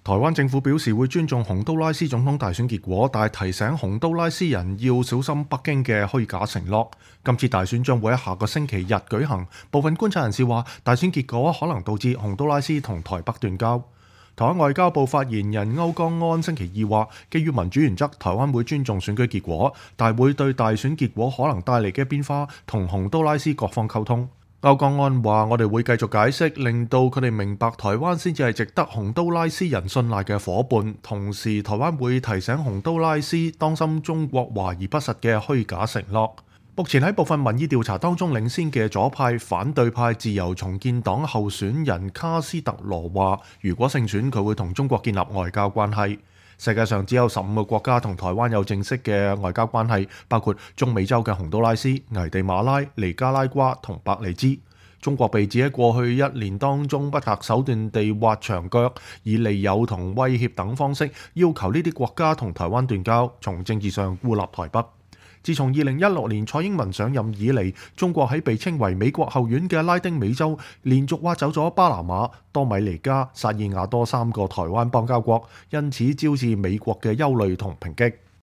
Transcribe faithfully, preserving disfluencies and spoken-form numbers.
台灣政府表示會尊重洪都拉斯總統大選結果，但係提醒洪都拉斯人要小心北京嘅虛假承諾。今次大選將會喺下個星期日舉行，部分觀察人士話大選結果可能導致洪都拉斯同台北斷交。台灣外交部發言人歐江安星期二話，基於民主原則，台灣會尊重選舉結果，但會對大選結果可能帶嚟嘅變化同洪都拉斯各方溝通。歐江安話：我哋會繼續解釋，令到佢哋明白台灣先至係值得洪都拉斯人信賴嘅夥伴。同時，台灣會提醒洪都拉斯當心中國華而不實嘅虛假承諾。目前喺部分民意調查當中領先嘅左派反對派自由重建黨候選人卡斯特羅話：如果勝選，佢會同中國建立外交關係。世界上只有十五個國家同台灣有正式嘅外交關係，包括中美洲嘅洪都拉斯、危地馬拉、尼加拉瓜同伯利茲。中國被指喺過去一年當中不擇手段地挖牆腳，以利誘同威脅等方式要求呢啲國家同台灣斷交，從政治上孤立台北。自從二零一六年蔡英文上任以嚟，中國喺被稱為美國後院嘅拉丁美洲，連續挖走咗巴拿馬、多米尼加、薩爾瓦多三個台灣邦交國，因此招致美國嘅憂慮同抨擊。